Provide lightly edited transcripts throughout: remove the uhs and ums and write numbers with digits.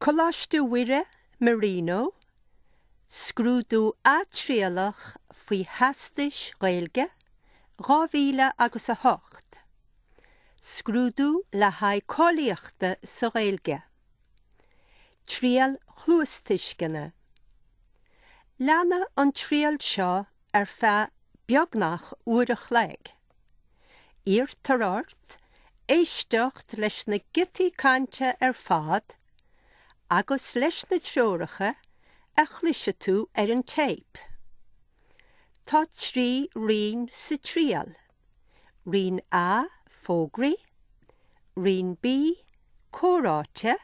Coláiste Mhuire, Marino, Scrúdú atriallach faoi Theastais Ghaeilge, 2000 agus 8. Scrúdú le haghaidh cáilíochta sa Ghaeilge. Triail chluastuisceana. Leanfaidh an triail seo ar feadh beagnach uair a chloig. Iarrtar ort éisteacht leis na giotaí cainte ar fad agus leis na treoracha a chloisfidh tú ar an téip. Tá 3 roinn sa triail, Roinn A, Fógraí, Roinn B, Comhráite,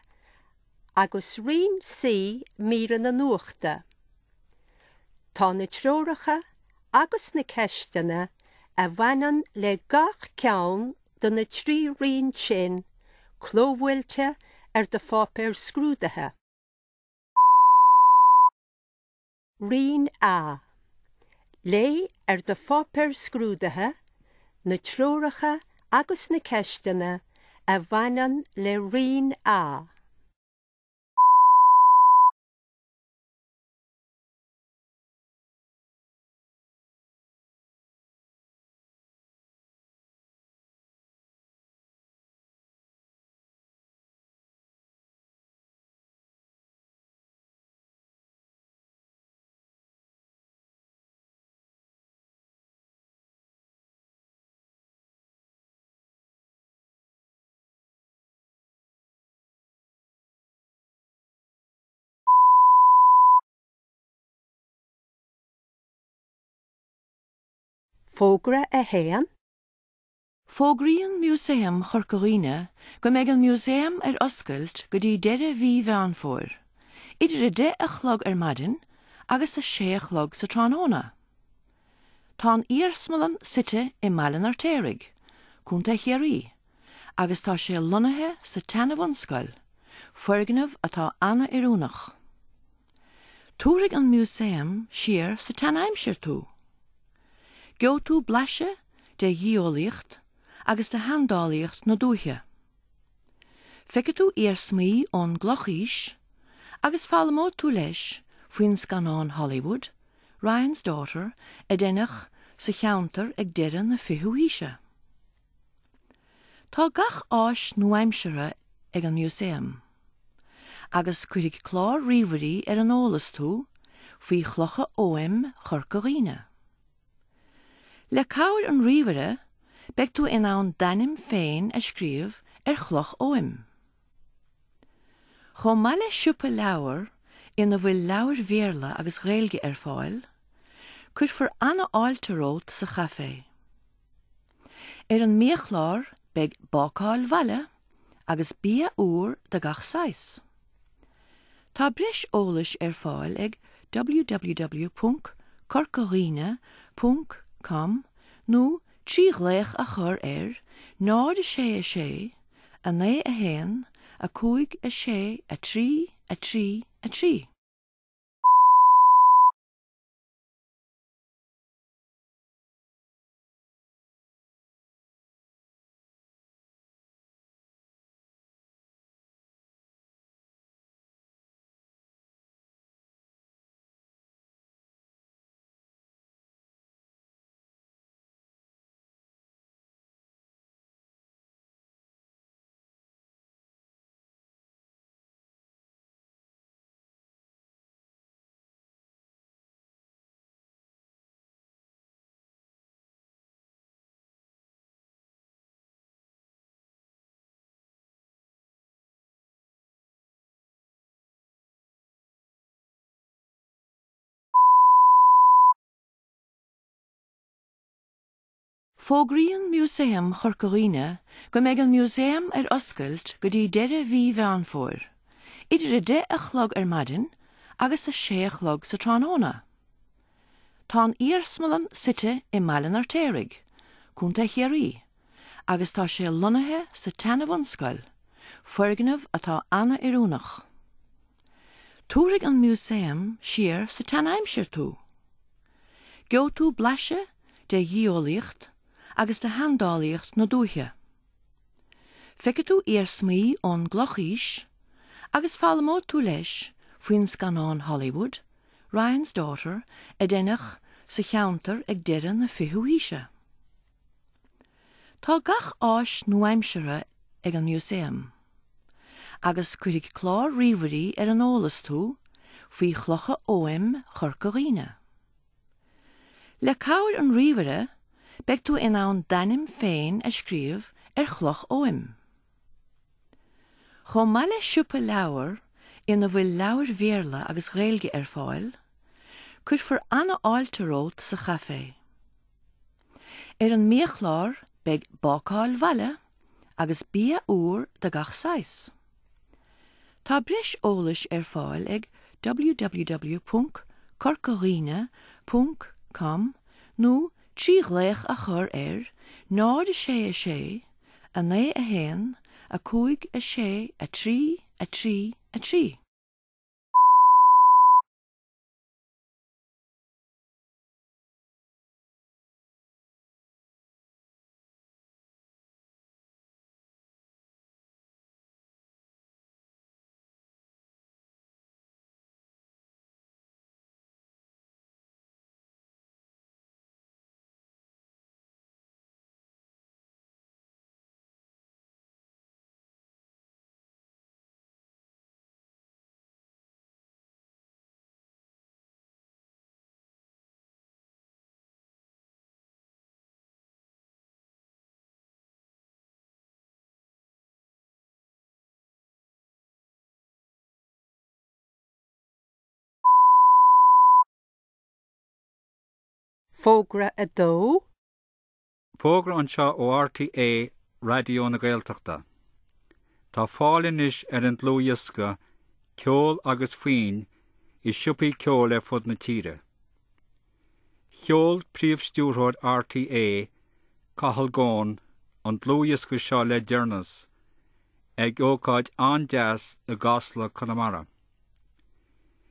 agus Roinn C, Míreanna Nuachta. Tá na treoracha agus na ceisteanna a bhaineann le gach ceann de na 3 roinn sin clóbhuailte ar do pháipéar scrúdaithe. Roinn A. Léigh ar do pháipéar scrúdaithe na treoracha agus na ceisteanna a bhaineann le Roinn A. Fógra 1. Fógraíonn Músaem Chorca Dhuibhne go mbeidh an Músaem ar oscailt go dtí deireadh mhí Mheán Fómhair, idir 10 a chlog ar maidin agus 6 a chlog sa tráthnóna. Tá an iarsmalann suite i mBaile an Fheirtéaraigh, Contae Chiarraí, agus tá sé lonnaithe sa tseana-bhunscoil, foirgneamh atá an-oiriúnach. Tabharfaidh an Músaem siar sa tsean-aimsir tú. Gheobhaidh tú blaiseadh de gheolaíocht agus de sheandálaíocht na dúiche. Feicfidh tú iarsmaí ón gClochaois agus foghlaimeoidh tú leis faoin scannán Hollywood, Ryan's Daughter, a deineadh sa cheantar ag deireadh na fichiú haoise. Tá gach áis nua-aimseartha ag an Músaem agus cuirfidh clár ríomhairí ar an eolas tú faoi chlocha Oghaim Chorca Dhuibhne. Le cabhair an ríomhaire beidh tú in ann d'ainm féin a scríobh ar chloch Oghaim. Chomh maith le siopa leabhar ina bhfuil leabhair Bhéarla agus Ghaeilge ar fáil, cuirfear an-fháilte romhat sa chaifé. Ar an mbiachlár beidh bácáil bhaile agus bia úr de gach saghas. Tá breis eolais ar fáil ag www.corcadhuibhne.com nó trí ghlaoch a chur ar 0 6 6 9 1 5 6 3 3 3. Fógraíonn Músaem Chorca Dhuibhne go mbeidh an Músaem ar oscailt go dtí deireadh mhí Mheán Fómhair, idir 10 a chlog ar maidin agus 6 a chlog sa tráthnóna. Tá an iarsmalann suite i mBaile an Fheirtéaraigh, Contae Chiarraí, agus tá sé lonnaithe sa tseana-bhunscoil, foirgneamh atá an-oiriúnach. Tabharfaidh an Músaem siar sa tsean-aimsir tú. Gheobhaidh tú blaiseadh de gheolaíocht agus de sheandálaíocht na dúiche. Feicfidh tú iarsmaí ón gClochaois Agus foghlaimeoidh tú leis faoin scannán Hollywood, Ryan's Daughter, a deineadh sa cheantar ag deireadh na fichiú haoise. Tá gach áis nua-aimseartha ag an Músaem, agus cuirfidh clár ríomhairí ar an eolas tú faoi chlocha Oghaim Chorca Dhuibhne. Le cabhair an ríomhaire, beidh tú in ann d'ainm féin a scríobh ar chloch Oghaim. Chomh maith le siopa leabhar ina bhfuil leabhair Bhéarla agus Ghaeilge ar fáil, cuirfear an-fháilte romhat sa chaifé. Ar an mbiachlár beidh bácáil bhaile agus bia úr de gach saghas. Tá breis eolais ar fáil ag www.corcadhuibhne.com nó trí ghlaoch a chur ar 0 6 6 9 1 5 6 3 3 3. Fógra 2. Fógra anseo ó RTÉ Raidió na Gaeltachta. Tá fáil anois ar an dlúthdhiosca Ceol agus Foinn i siopaí ceoil ar fud na tíre. Sheol Príomh-Stiúrthóir RTÉ, Cathal Goan, an dlúthdhiosca seo le deireanas ag ócáid an-deas i gCasla, Conamara.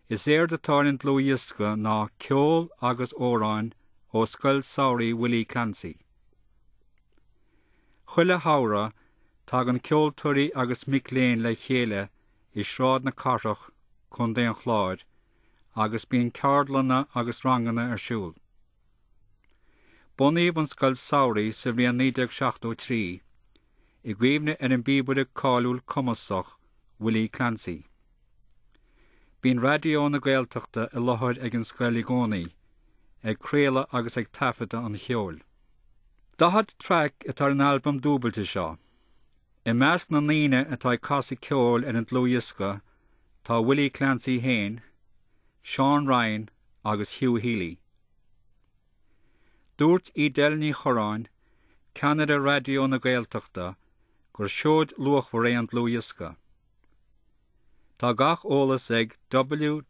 Is éard atá ar an dlúthdhiosca ná ceol agus amhráin ó Scoil Samhraidh Willie Clancy. Chuile shamhradh, tagann ceoltóirí agus mic léinn le chéile i Sráid na Cathrach, Co. an Chláir, agus bíonn ceardlanna agus ranganna ar siúl. Bunaíodh an Scoil Samhraidh sa bhliain 1973 i gcuimhne ar an bpíobaire cáiliúil cumasach Willie Clancy. Bíonn Raidió na Gaeltachta i láthair ag an scoil i gcónaí, ag craoladh agus ag taifeadadh an cheoil. 40 traic atá ar an albam dúbailte seo. I measc na ndaoine atá ag casadh ceoil ar an dlúthdhiosca tá Willie Clancy féin, Seán Ryan agus Hugh Healy. Dúirt Edel Ní Chorráin, ceannaire Raidió na Gaeltachta, gur seoid luachmhar é an dlúthdhiosca. Tá gach eolas ag www.rnag.ie.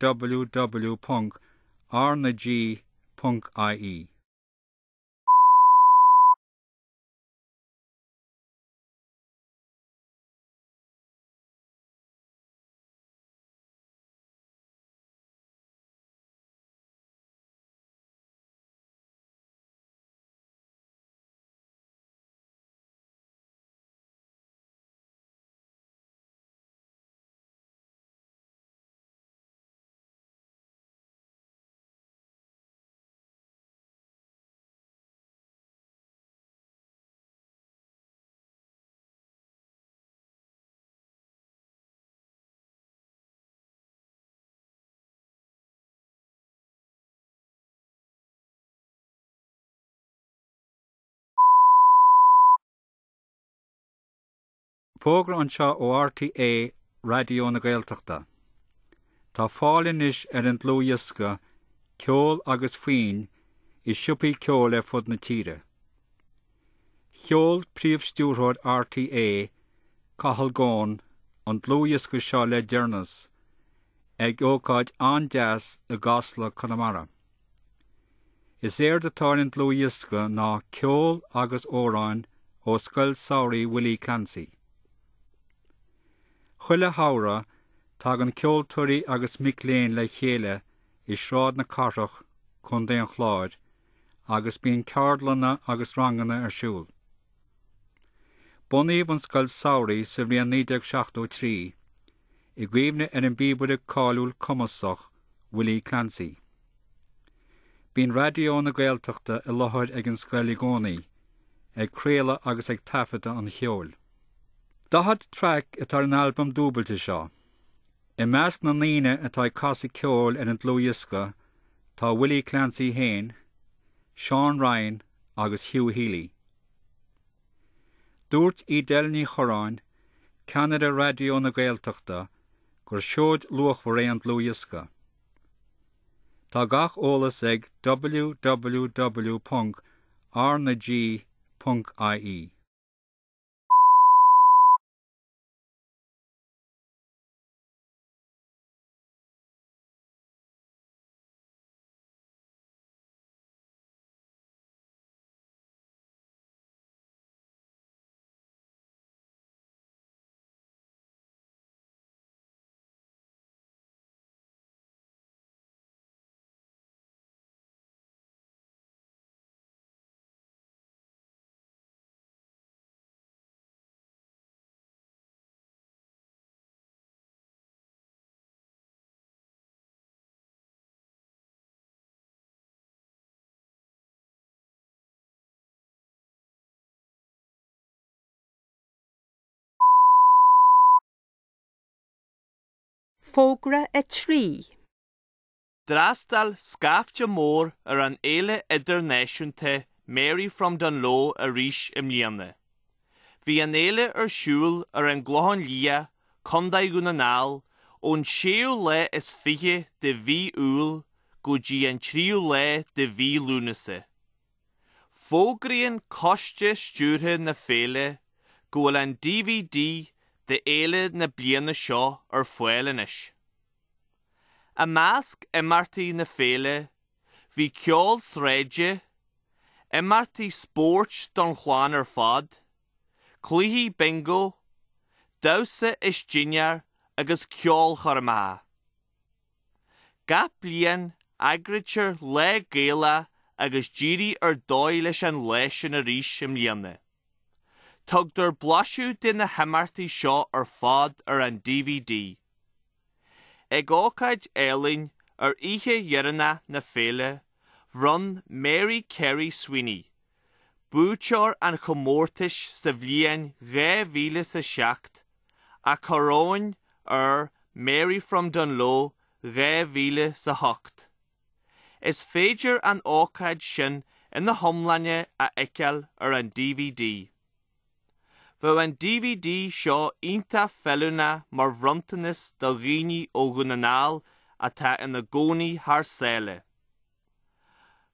Fógra anseo ó RTÉ Raidió na Gaeltachta. Tá fáil anois ar an dlúthdhiosca Ceol agus Foinn i siopaí ceoil ar fud na tíre. Sheol Príomh-Stiúrthóir RTÉ, Cathal Goan, an dlúthdhiosca seo le deireanas ag ócáid an-deas i gCasla, Conamara. Is éard atá ar an dlúthdhiosca ná ceol agus amhráin ó Scoil Samhraidh Willie Clancy. Chuile shamhradh, tagann ceoltóirí agus mic léinn le chéile i Sráid na Cathrach, Co. an Chláir, agus bíonn ceardlanna agus ranganna ar siúl. Bunaíodh an Scoil Samhraidh sa bhliain 1973. i gcuimhne ar an bpíobaire cáiliúil cumasach Willie Clancy. Bíonn Raidió na Gaeltachta i láthair ag an scoil i gcónaí, ag craoladh agus ag taifeadadh an cheoil. 40 traic atá ar an albam dúbailte seo. I measc na ndaoine atá ag casadh ceoil ar an dlúthdhiosca tá Willie Clancy féin, Seán Ryan agus Hugh Healy. Dúirt Edel Ní Chorráin, ceannaire Raidió na Gaeltachta, gur seoid luachmhar é an dlúthdhiosca. Tá gach eolas ag www.rnag.ie. Fógra 3. D'fhreastail scaifte mór ar an fhéile idirnáisiúnta Mary from Dungloe arís i mbliana. Bhí an fhéile ar siúl ar an gClochán Liath, Contae Dhún na nGall, ón séú lá is 20 de mhí Iúil go dtí an tríú lá de mhí Lúnasa. Fógraíonn Coiste Stiúrtha na Féile go bhfuil an DVD d'fhéile na bliana seo ar fáil anois. I measc imeachtaí na féile bhí ceol sráide, imeachtaí spóirt don chlann ar fad, cluichí bingo, damhsa is dinnéar agus ceolchoirmeacha. Gach bliain, eagraítear Lá Gaelach agus d'éirigh ar dóigh leis an lá sin arís i mbliana. Tugtar blaiseadh de na himeachtaí seo ar fad ar an DVD. Ag ócáid álainn ar oíche dheireanach na féile, bhronn Mary Carey Sweeney, buaiteoir an chomórtais sa bhliain 2007, a coróin ar Mary from Dungloe 2008. Is féidir an ócáid sin ina hiomláine a fheiceáil ar an DVD. Bheadh an DVD seo iontach feiliúnach mar bhronntanas do dhaoine ó Dhún na nGall atá ina gcónaí thar sáile.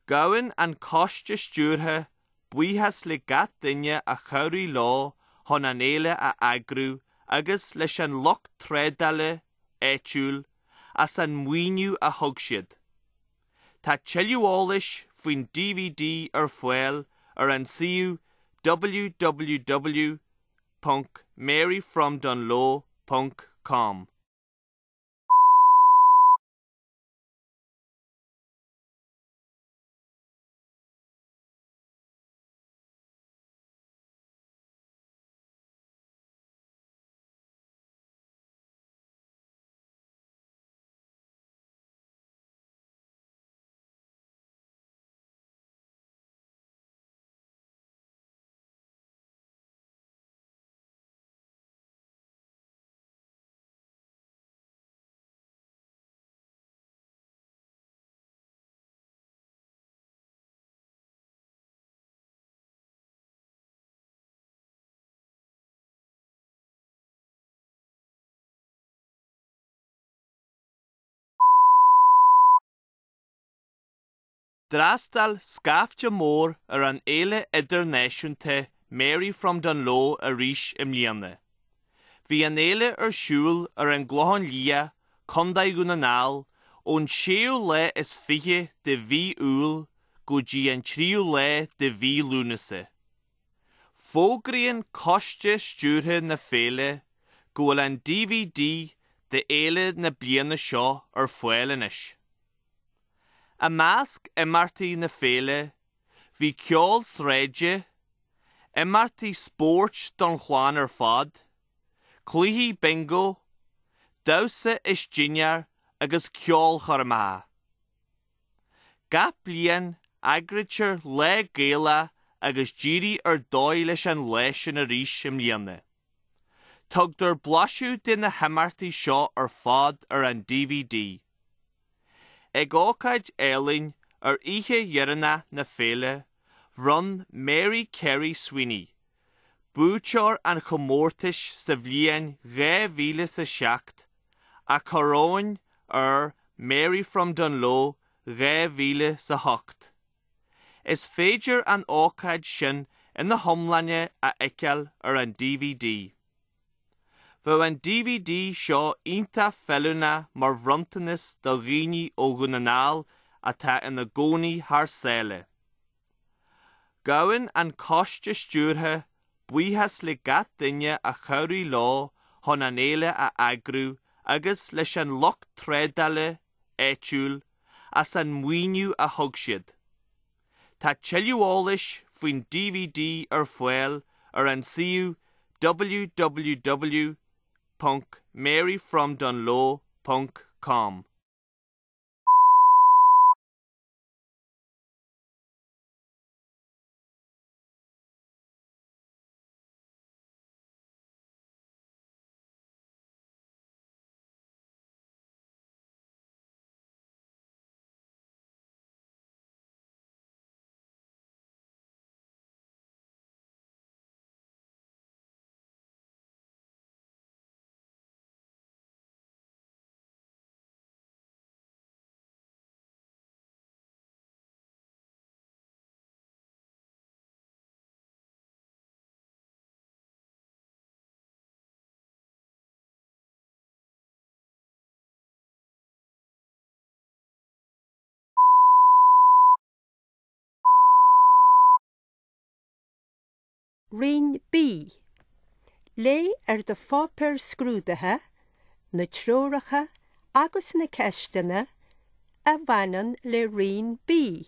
Gabhann an Coiste Stiúrtha buíochas le gach duine a chabhraigh leo chun an fhéile a eagrú agus leis an lucht trádála áitiúil as an maoiniú a thug siad. Tá tuilleadh eolais faoin DVD ar fáil ar an suíomh www.maryfromdungloe.com. D'fhreastail scaifte mór ar an fhéile idirnáisiúnta Mary from Dungloe arís i mbliana. Bhí an fhéile ar siúl ar an gClochán Liath, Contae Dhún na nGall, ón séú lá is 20 de mhí Iúil go dtí an tríú lá de mhí Lúnasa. Fógraíonn Coiste Stiúrtha na Féile go bhfuil an DVD d'fhéile na bliana seo ar fáil anois. I measc imeachtaí na féile bhí ceol sráide, imeachtaí spóirt don chlann ar fad, cluichí bingo, damhsa is dinnéar agus ceolchoirmeacha. Gach bliain eagraítear Lá Gaelach agus d'éirigh ar dóigh leis an lá sin arís i mbliana. Tugtar blaiseadh de na himeachtaí seo ar fad ar an dvd. Ag ócáid álainn ar oíche dheireanach na féile, bhronn Mary Carey Sweeney, buaiteoir an chomórtais sa bhliain 2007, a coróin ar Mary from Dungloe 2008. Is féidir an ócáid sin ina hiomláine a fheiceáil ar an dvd. Bheadh an dvd seo iontach feiliúnach mar bhronntanas do dhaoine ó Dhún na nGall atá ina gcónaí thar sáile. Gabhann an Coiste Stiúrtha buíochas le gach duine a chabhraigh leo chun an fhéile a eagrú agus leis an lucht trádála áitiúil as an maoiniú a thug siad. Tá tuilleadh eolais faoin dvd ar fáil ar an suíomh www.maryfromdungloe.com. Roinn B. Léigh ar do pháipéar scrúdaithe na treoracha agus na ceisteanna a bhaineann le Roinn B.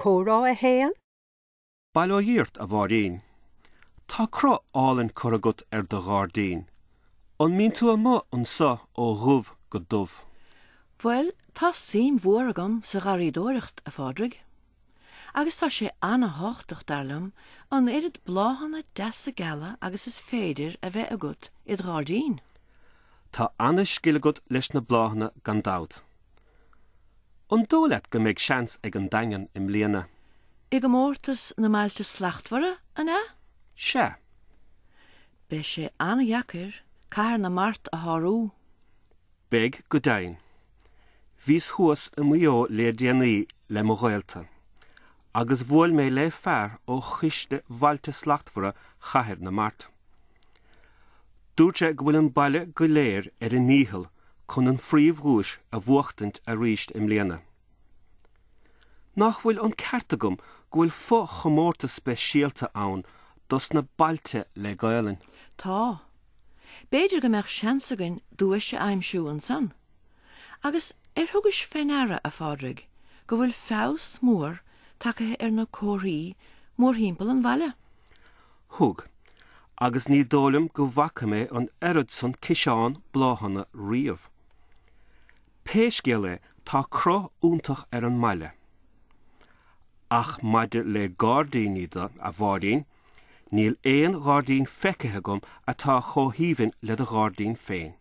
Comhrá 1. Bail ó Dhia ort, a Mháirín. Tá cruth álainn curtha agat ar do ghairdín. An mbíonn tú amuigh anso ó dhubh go dubh? Bhuel, tá suim mhór agam sa gharraíodóireacht, a Phádraig. Agus tá sé an-thábhachtach, dar liom, an oiread bláthanna deasa geala agus is féidir a bheith agat id ghairdín. Tá ana-scil agat leis na bláthanna gan dabht. An dóigh leat go mbeidh seans ag an Daingean i mbliana? I gcomórtas na mBailte Slachtmhara, an ea? Sea. Beidh sé an-dheacair Cathair na Mart a shárú. Beidh go deimhin. Bhíos thuas i Maigh Eo le déanaí le mo ghaolta, agus bhuail mé le fear ó Choiste Bhailte Slachtmhara Chathair na Mart. Dúirt sé go bhfuil an baile go léir ar a ndícheall chun an phríomhdhuais a bhuachtaint arís i mbliana. Nach bhfuil an ceart agam go bhfuil fo-chomórtas speisialta ann dos na bailte le Gaelainn? Tá. B'fhéidir go mbeadh seans againn duais a aimsiú ansan. Agus ar thugais fé ndeara, a Phádraig, go bhfuil feabhas mór tagtha ar na comharthaí mórthimpeall an bhaile? Thug. Agus ní dóigh liom go bhfaca mé an oiread san ciseán bláthanna riamh. Pé scéal é, tá cruth iontach ar an mbaile. Ach maidir le gairdíní de, a Mháirín, níl aon ghairdín feicthe agam atá chomh haoibhinn le do ghairdín féin.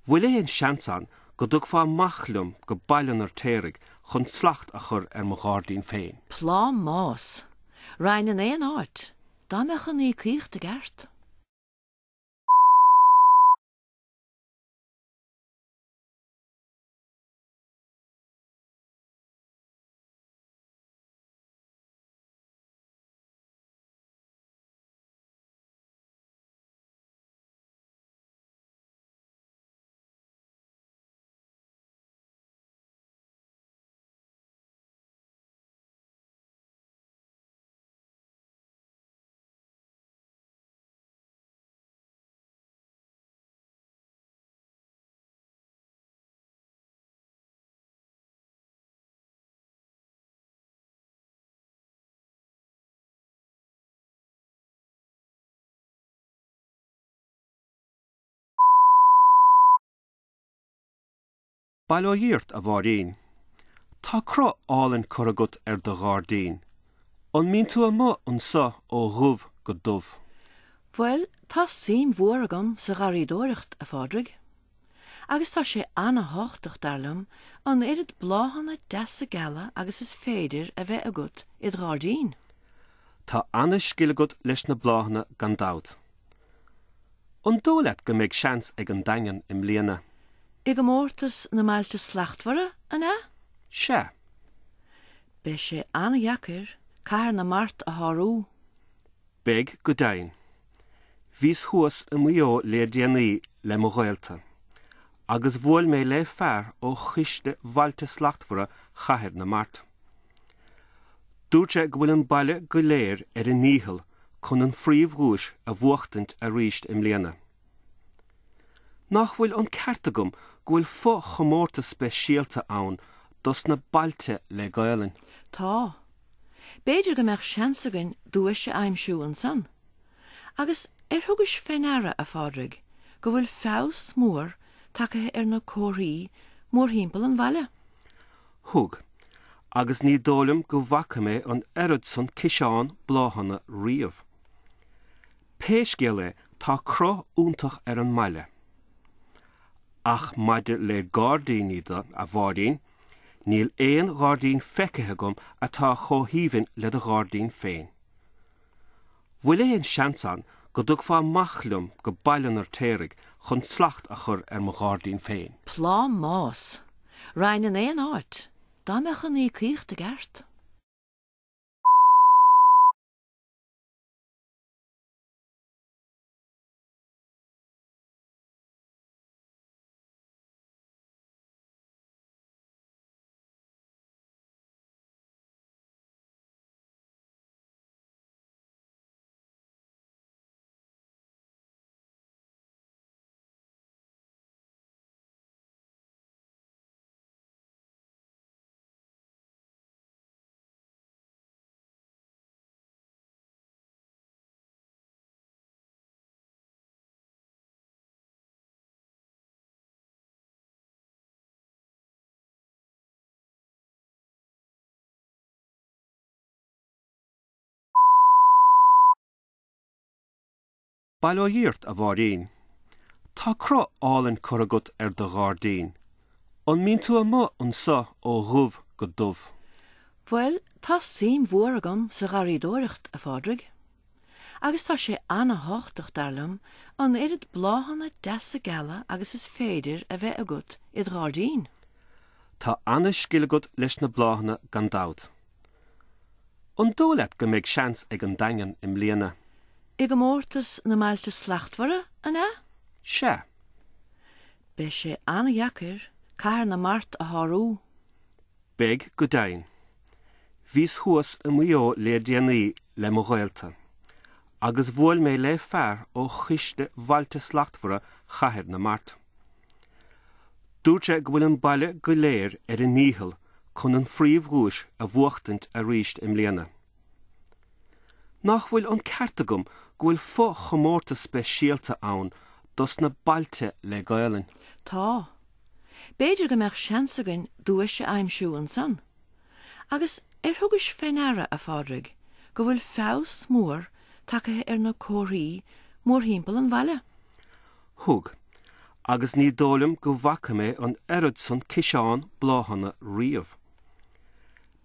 Bhfuil aon seans ann go dtugfá amach liom go Baile an Fheirtéaraigh chun slacht a chur ar mo ghairdín féin? Plámás! Raghainn in aon áit, dá mbeadh an íocaíocht i gceart. Bail ó Dhia ort, a Mháirín. Tá cruth álainn curtha agat ar do ghairdín. An mbíonn tú amuigh anso ó dhubh go dubh? Bhuel, tá suim mhór agam sa gharraíodóireacht, a Phádraig. Agus tá sé ana-thábhachtach, dar liom, an oiread bláthanna deasa geala agus is féidir a bheith agat id ghairdín. Tá ana-scil agat leis na bláthanna gan dabht. An dóigh leat go mbeidh seans ag an Daingean i mbliana? I gcomórtas na mBailte Slachtmhara, an ea? Sea. Beidh sé an-dheacair Cathair na Mart a shárú. Beidh go deimhin. Bhíos thuas i Maigh Eo le déanaí le mo ghaolta, agus bhuail mé le fear ó Choiste Bhailte Slachtmhara Chathair na Mart. Dúirt sé go bhfuil an baile go léir ar a ndícheall chun an phríomhdhuais a bhuachtaint arís i mbliana. Nach bhfuil an ceart agam go bhfuil fo-chomórtas speisialta ann dos na bailte le Gaelainn? Tá. B'fhéidir go mbeadh seans againn duais a aimsiú ansan. Agus ar thugais fé ndeara, a Phádraig, go bhfuil feabhas mór tagtha ar na comharthaí mórthimpeall an bhaile? Thug. Agus ní dóigh liom go bhfaca mé an oiread san ciseán bláthanna riamh. Pé scéal é, tá cruth iontach ar an mbaile. Ach maidir le gairdíní de, a Mháirín, níl aon ghairdín feicthe agam atá chomh haoibhinn le do ghairdín féin. Bhfuil aon seans ann go dtugfá amach liom go Baile an Fheirtéaraigh chun slacht a chur ar mo ghairdín féin? Plámás! Raghainn in aon áit, dá mbeadh an íocaíocht i gceart. Bail ó Dhia ort, a Mháirín. Tá cruth álainn curtha agat ar do ghairdín. An mbíonn tú amuigh anso ó dhubh go dubh? Bhuel, tá suim mhór agam sa gharraíodóireacht, a Phádraig. Agus tá sé ana-thábhachtach, dar liom, an oiread bláthanna deasa geala agus is féidir a bheith agat id ghairdín. Tá ana-scil agat leis na bláthanna gan dabht. An dóigh leat go mbeidh seans ag an Daingean i mbliana? I gcomórtas na mBailte Slachtmhara, an ea? Sea. Beidh sé an-dheacair Cathair na Mart a shárú. Beidh go deimhin. Bhíos thuas i Maigh Eo le déanaí le mo ghaolta, agus bhuail mé le fear ó Choiste Bhailte Slachtmhara Chathair na Mart. Dúirt sé go bhfuil an baile go léir ar a ndícheall chun an phríomhdhuais a bhuachtaint arís i mbliana. Nach bhfuil an ceart agam go bhfuil fo-chomórtas speisialta ann dos na bailte le Gaelainn? Tá. B'fhéidir go mbeadh seans againn duais a aimsiú ansan. Agus ar thugais fé ndeara, a Phádraig, go bhfuil feabhas mór tagtha ar na comharthaí mórthimpeall an bhaile? Thug. Agus ní dóigh liom go bhfaca mé an oiread san ciseán bláthanna riamh.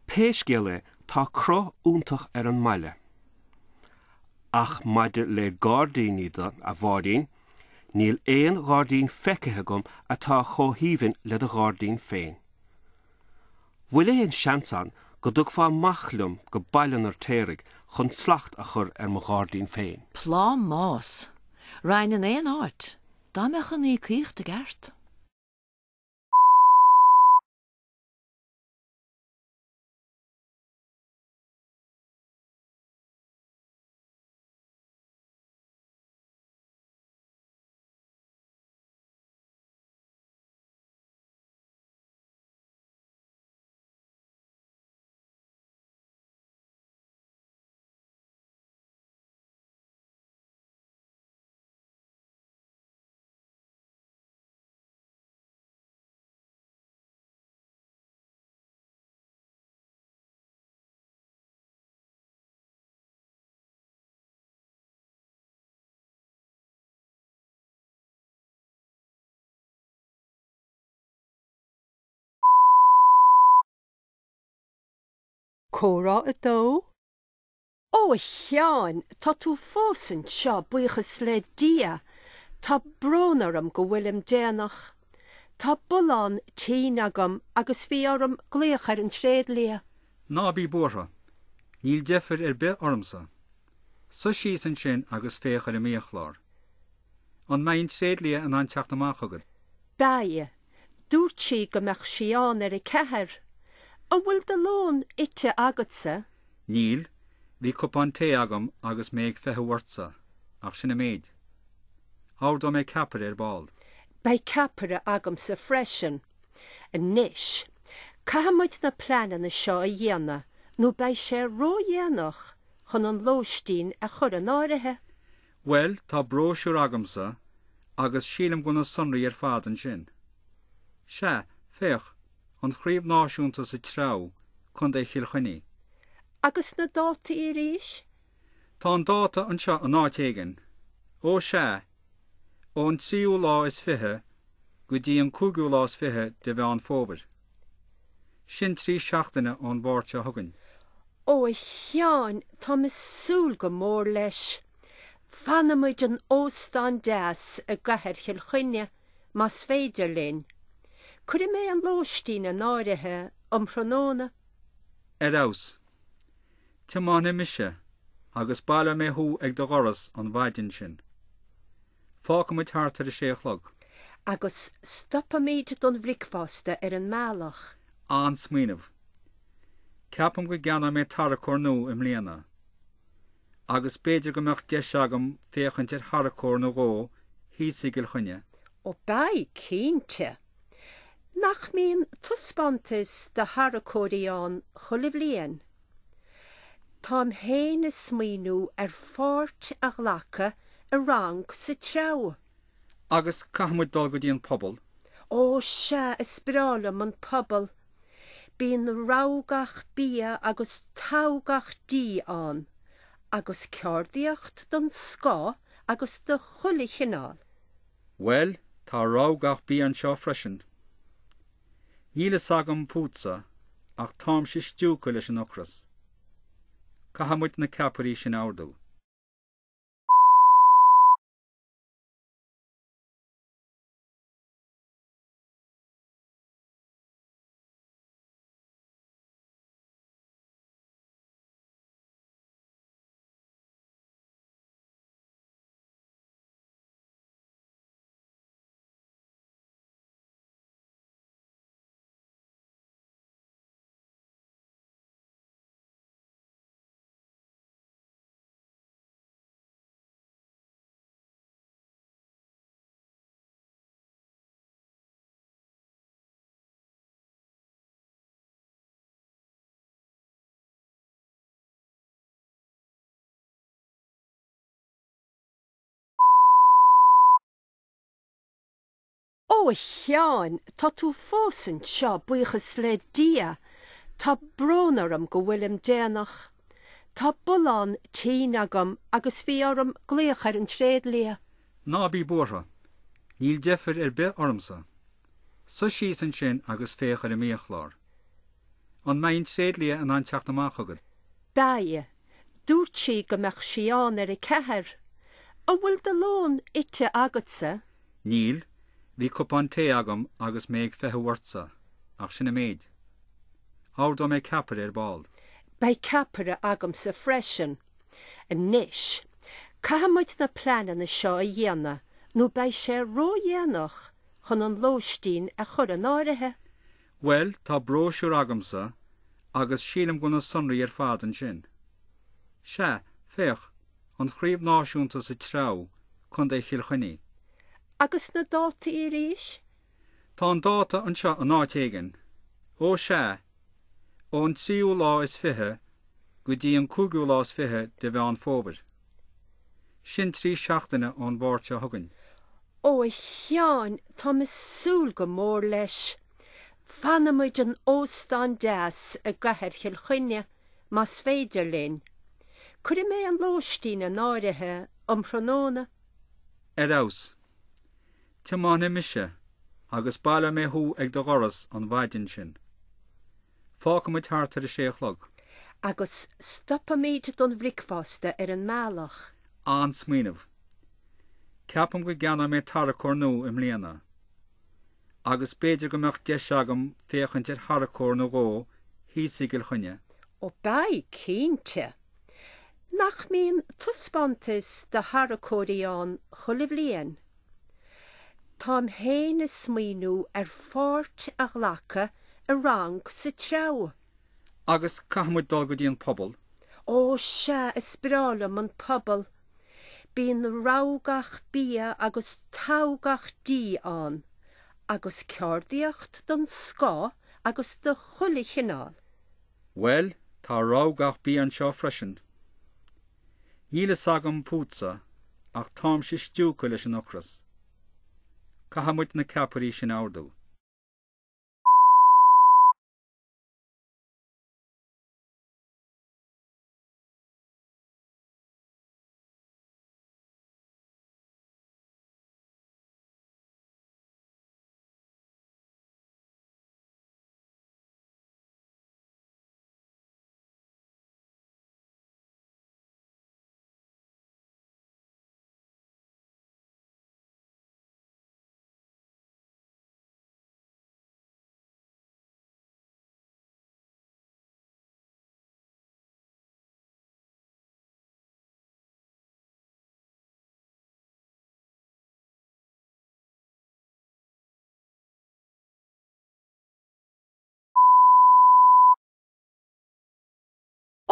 Pé scéal é, tá cruth iontach ar an mbaile. Ach maidir le gairdíní de, a Mháirín, níl aon ghairdín feicthe agam atá chomh haoibhinn le do ghairdín féin. Bhfuil aon seans ann go dtugfá amach liom go Baile an Fheirtéaraigh chun slacht a chur ar mo ghairdín féin? Plámás! Raghainn in aon áit, dá mbeadh an íocaíocht i gceart. Comhrá 2. Ó, a Sheáin, tá tú fós anseo, buíochas le Dia! Tá brón orm go bhfuilim déanach. Tá bullán tinn agam agus bhí orm glaoch ar an tréidlia. Ná bí buartha. Níl deifir ar bith ormsa. Suigh síos ansin agus féach ar an mbiachlár. An mbeidh an tréidlia in ann teacht amach chugat? Beidh. Dúirt sí go mbeadh sí ann ar a ceathair. An bhfuil do lón ite agatsa? Níl, bhí cupán tae agam agus mé ag feitheamh ortsa, ach sin an méid. Ordóidh mé ceapaire ar ball. Beidh ceapaire agamsa freisin. Anois, caithfidh muid na pleananna seo a dhéanamh nó beidh sé ródhéanach chun an lóistín a chur in áirithe. Bhuel, tá bróisiúr agamsa agus sílim go bhfuil na sonraí ar fad ansin. Sea, féach, an Chraobh Náisiúnta sa Treabhadh, Contae Chill Chainnigh. Agus na dátaí arís? Tá an dáta anseo in áit éigin. Ó sea, ón tríú lá is fiche go dtí an cúigiú lá is fiche de Mheán Fómhair. Sin trí seachtaine ón Mháirt seo chugainn. Ó, a Sheáin, táim ag súil go mór leis. Fanfaidh muid in óstán deas i gcathair Chill Chainnigh, más féidir linn. Cuirfidh mé an lóistín in áirithe um thráthnóna. Ar fheabhas. Tiomáinfidh mise agus baileoidh mé thú ag do dhoras an mhaidin sin. Fágfaidh muid thart ar a sé a chlog. Agus stopfaimid don bhricfeasta ar an mbealach. An-smaoineamh. Ceapaim go gceannóidh mé tarracóir nua i mbliana. Agus b'fhéidir go mbeadh deis agam féachaint ar tharracóir nó dhó thíos i gCill Chainnigh. Ó beidh, cinnte. Nach mbíonn taispeántas de tharracóirí ann chuile bhliain? Táim féin ag smaoineamh ar pháirt a ghlacadh i rang sa treabhadh. Agus caithfidh muid dul go dtí an puball. Ó sea, is breá liom an puball. Bíonn rogha gach bia agus togha gach dí ann, agus ceardaíocht den scoth agus de chuile chineál. Bhuel, tá rogha gach bia anseo freisin. Níl fhios agam fútsa, ach táimse stiúgtha leis an ocras. Caithfidh muid na ceapairí sin a ordú. Ó, a Sheáin, tá tú fós anseo, buíochas le Dia! Tá brón orm go bhfuilim déanach. Tá bullán tinn agam agus bhí orm glaoch ar an tréidlia. Ná bí buartha. Níl deifir ar bith ormsa. Suigh síos ansin agus féach ar an mbiachlár. An mbeidh an tréidlia in ann teacht amach chugat? Beidh. Dúirt sí go mbeadh sí ann ar a ceathair. An bhfuil do lón ite agatsa? Níl, bhí cupán tae agam agus mé ag feitheamh ortsa, ach sin an méid. Ordóidh mé ceapaire ar ball. Beidh ceapaire agamsa freisin. Anois, caithfidh muid na pleananna seo a dhéanamh nó beidh sé ródhéanach chun an lóistín a chur in áirithe. Bhuel, tá bróisiúr agamsa agus sílim go bhfuil na sonraí ar fad ansin. Sea, féach, an Chraobh Náisiúnta sa Treabhadh, Contae Chill Chainnigh. Agus na dátaí arís? Tá an dáta anseo in áit éigin. Ó sea, ón tríú lá is fiche go dtí an cúigiú lá is fiche de Mheán Fómhair. Sin trí seachtaine ón Mháirt seo chugainn. Ó, a Sheáin, táim ag súil go mór leis. Fanfaidh muid in óstán deas i gcathair Chill Chainnigh, más féidir linn. Cuirfidh mé an lóistín in áirithe um thráthnóna. Ar fheabhas. Tiomáinfidh mise agus baileoidh mé thú ag do dhoras an mhaidin sin. Fágfaidh muid thart ar a sé a chlog. Agus stopfaimid don bhricfeasta ar an mbealach. An-smaoineamh. Ceapaim go gceannóidh mé tarracóir nua i mbliana. Agus b'fhéidir go mbeadh deis agam féachaint ar tharracóir nó dhó thíos i gCill Chainnigh. Ó beidh, cinnte. Nach mbíonn taispeántas de tharracóirí ann chuile bhliain? Táim féin ag smaoineamh ar pháirt a ghlacadh i rang sa treabhadh. Agus caithfidh muid dul go dtí an puball. Ó sea, is breá liom an puball. Bíonn rogha gach bia agus togha gach dí ann, agus ceardaíocht den scoth agus de chuile chineál. Bhuel, tá rogha gach bia anseo freisin. Níl fhios agam fútsa, ach táimse stiúgtha leis an ocras. Caithfidh muid na ceapairí sin a ordú.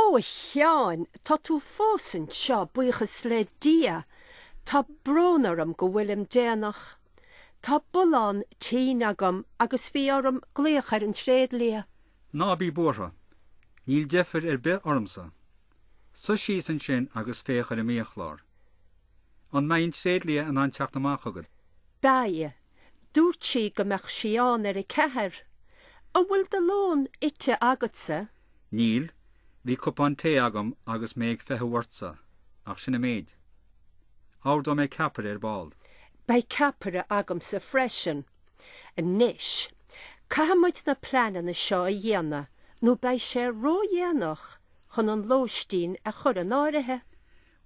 Ó, a Sheáin, tá tú fós anseo, buíochas le Dia! Tá brón orm go bhfuilim déanach. Tá bullán tinn agam agus bhí orm glaoch ar an tréidlia. Ná bí buartha. Níl deifir ar bith ormsa. Suigh síos ansin agus féach ar an mbiachlár. An mbeidh an tréidlia in ann teacht amach chugat? Beidh. Dúirt sí go mbeadh sí ann ar a ceathair. An bhfuil do lón ite agatsa? Níl. Bhí cupán tae agam agus mé ag feitheamh ortsa, ach sin an méid. Ordóidh mé ceapaire ar ball. Beidh ceapaire agamsa freisin. Anois, caithfidh muid na pleananna seo a dhéanamh nó beidh sé ródhéanach chun an lóistín a chur in áirithe.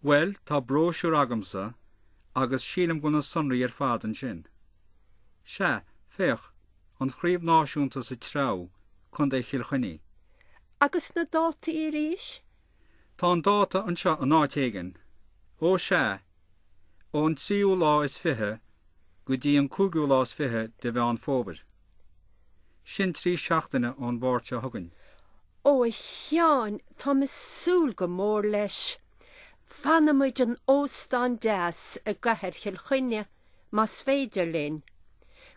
Bhuel, tá bróisiúr agamsa agus sílim go bhfuil na sonraí ar fad ansin. Sea, féach, an Chraobh Náisiúnta sa Treabhadh, Contae Chill Chainnigh. Agus na dátaí arís? Tá an dáta anseo in áit éigin. Ó sea, ón tríú lá is fiche go dtí an cúigiú lá is fiche de Mheán Fómhair. Sin trí seachtaine ón Mháirt seo chugainn. Ó a Sheáin, táim ag súil go mór leis. Fanfaidh muid in óstán deas i gcathair Chill Chainnigh, más féidir linn.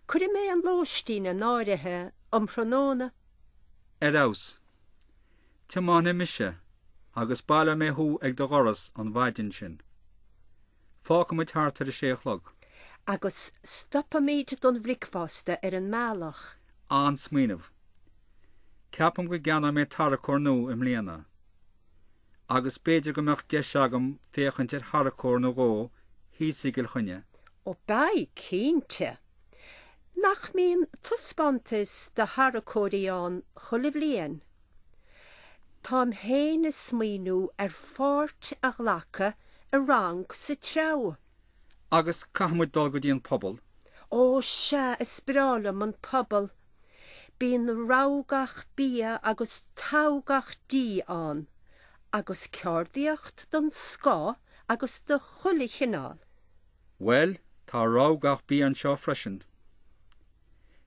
Cuirfidh mé an lóistín in áirithe um thráthnóna. Ar fheabhas. Tiomáinfidh mise agus baileoidh mé thú ag do dhoras an mhaidin sin. Fágfaidh muid thart ar a sé a chlog. Agus stopfaimid don bhricfeasta ar an mbealach. An-smaoineamh. Ceapaim go gceannóidh mé tarracóir nua i mbliana. Agus b'fhéidir go mbeadh deis agam féachaint ar tharracóir nó dhó thíos i gCill Chainnigh. Ó beidh, cinnte. Nach mbíonn taispeántas de tharracóirí ann chuile bhliain? Táim féin ag smaoineamh ar pháirt a ghlacadh i rang sa treabhadh. Agus caithfidh muid dul go dtí an puball. Ó sea, is breá liom an puball. Bíonn rogha gach bia agus togha gach dí ann, agus ceardaíocht den scoth agus de chuile chineál. Bhuel, tá rogha gach bia anseo freisin.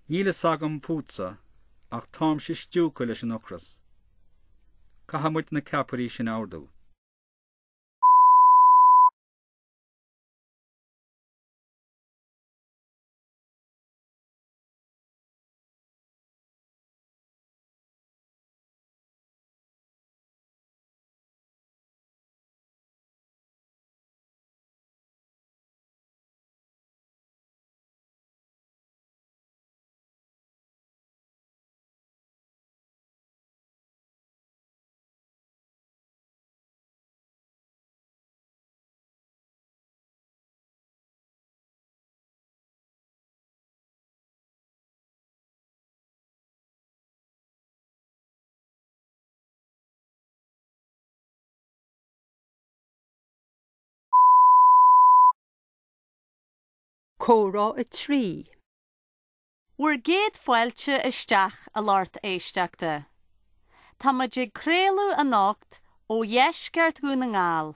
Níl fhios agam fútsa, ach táimse stiúgtha leis an ocras. Caithfidh muid na ceapairí sin a ordú. Comhrá 3. Bhur gcéad fáilte isteach a lucht éisteachta. Tá muid ag craoladh anocht ó dheisceart Dhún na nGall.